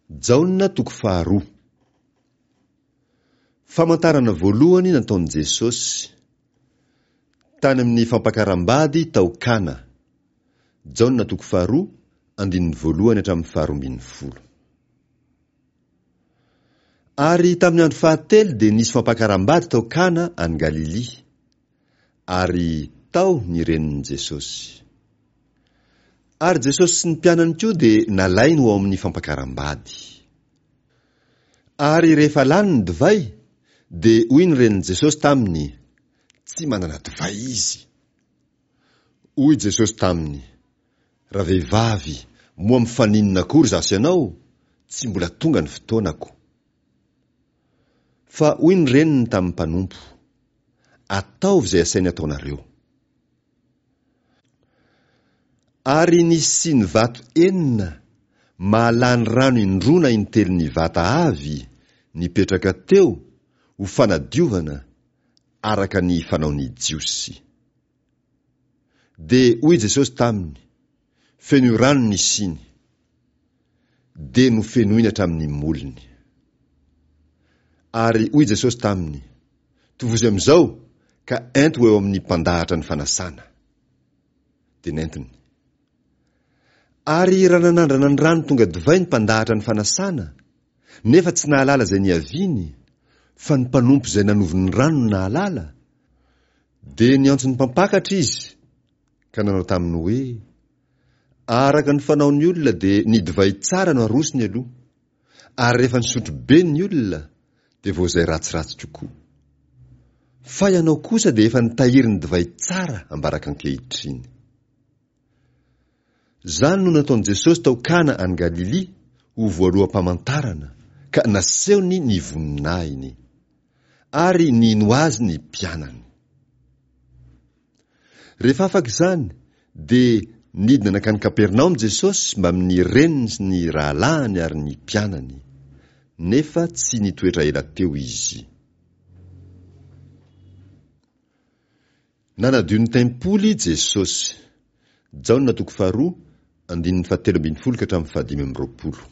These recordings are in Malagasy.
Jaona toko faharoa. Famantarana voalohany nataon'i Jesosy. Tany amin'ny fampakaram-bady tao Kana. Jaona toko faharoa, andininy voalohany hatramin'ny faharoa ambin'ny folo. Ary tamin'ny andro fahatelo dia nisy fampakaram-bady tao Kana any Galilia. Ary tao ny renin'i Jesosy. Ary Jesosy sy ny mpianany koa dia nalainy ho ao amin'ny fampakaram-bady. Ary rehefa lany ny divay, dia hoy ny renin'i Jesosy taminy, Tsy manana divay izy. Hoy Jesosy taminy, Ravehivavy, moa mifaninona akory izaho sy ianao? Tsy mbola tonga ny fotoanako. Fa hoy ny reniny tamin'ny mpanompo, Ataovy izay asainy ataonareo. Ary nisy siny vato enina, mahalany rano indroa na intelon'ny vata avy, nipetraka teo, ho fanadiovana, araka ny fanaon'ny Jiosy. Dia hoy Jesosy taminy, Fenoy rano ny siny. Dia nofenoiny hatramin'ny molony. Ary hoy Jesosy taminy, Tovozy amin'izao ka ento ho eo amin'ny mpandahatra ny fanasana. Dia nentiny. Ary raha nanandrana ny rano tonga divay ny mpandahatra ny fanasana, nefa tsy nahalala izay niaviany, fa ny mpanompo izay nanovo ny rano no nahalala, dia niantso ny mpampakatra izy ka nanao taminy hoe, Araka ny fanaon'ny olona dia ny divay tsara no arosony aloha, ary rehefa nisotro be ny olona dia vao izay ratsiratsy kokoa. Fa ianao kosa dia efa nitahiry ny divay tsara ambaraka ankehitriny. Izany no nataon'i Jesosy tao Kana any Galilia ho voaloham-pamantarana, ka nasehony ny voninahiny. Ary nino azy ny mpianany. Rehefa afaka izany, dia nidina nankany Kapernaomy Jesosy mbamin'ny reniny sy ny rahalahiny ary ny mpianany. Nefa tsy nitoetra ela teo izy. Nanadio ny tempoly Jesosy. Jaona toko faharoa, andininy fahatelo ambin'ny folo ka hatramin'ny fahadimy amby roapolo.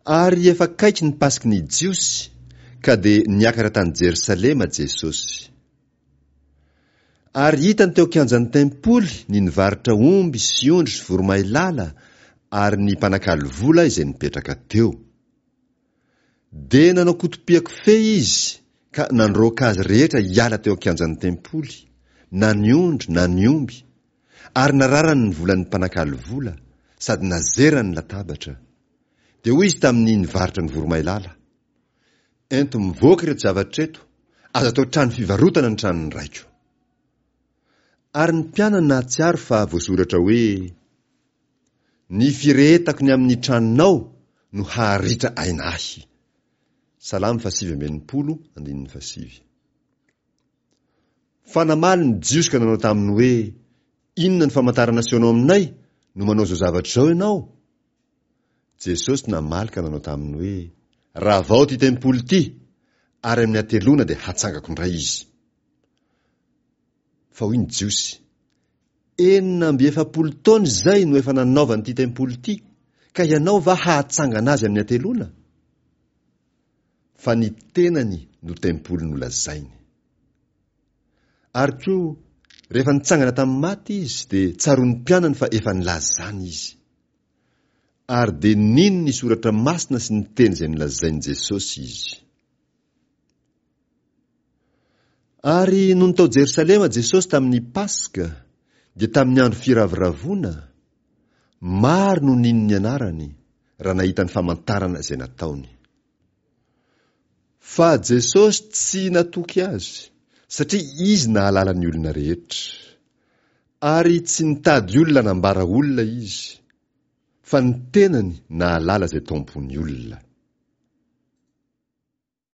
Ary efa akaiky ny Paski'ny ny Jiosy, ka dia niakatra tany Jerosalema Jesosy. Ary hitany teo an-kianjan'ny tempoly ny nivarotra omby sy ondry sy voromailala ary ny mpanakalo vola izay nipetraka teo. Dia nanao kotopiako-fehy izy ka nandroaka azy rehetra hiala teo an-kianjan'ny tempoly, na ny ondry na ny omby, ary nararany ny volan'ny mpanakalo vola, sady nazerany ny latabatra. Dia hoy izy tamin'ny nivarotra ny voromailala, Ento mivoaka ireto zavatra ireto, aza atao trano fivarotana ny tranon'ny raiko. Ary ny mpianany nahatsiaro fa voasoratra hoe, Ny firehetako ny amin'ny tranonao no haharitra aina ahy. Salamo fahasivy amby enimpolo, andininy fahasivy. Fa namaly ny Jiosy ka nanao taminy hoe, Inona ny famantarana asehonao aminay no manao izao zavatra izao ianao? Jesosy namaly ka nanao taminy hoe, Ravao ity tempoly ity, ary amin'ny hateloana dia hatsangako indray izy. Fa hoy ny Jiosy, 46 taona izay no efa nanaovana ity tempoly ity, ka ianao va hahatsangana azy amin'ny hateloana? Fa ny tenany no tempoly nolazainy. Ary koa, rehefa nitsangana tamin'ny maty izy, dia tsaroan'ny mpianany fa efa nilaza izany izy. Ary dia nino ny soratra masina sy ny teny izay nolazain'i Jesosy izy. Ary nony tao Jerosalema Jesosy tamin'ny Paska, dia tamin'ny andro firavoravoana, maro no nino ny anarany, raha nahita ny famantarana izay nataony. Fa Jesosy tsy natoky azy, satria izy nahalala ny olona rehetra. Ary tsy nitady olona hanambara olona izy, fa ny tenany nahalala izay tao am-pon'ny olona.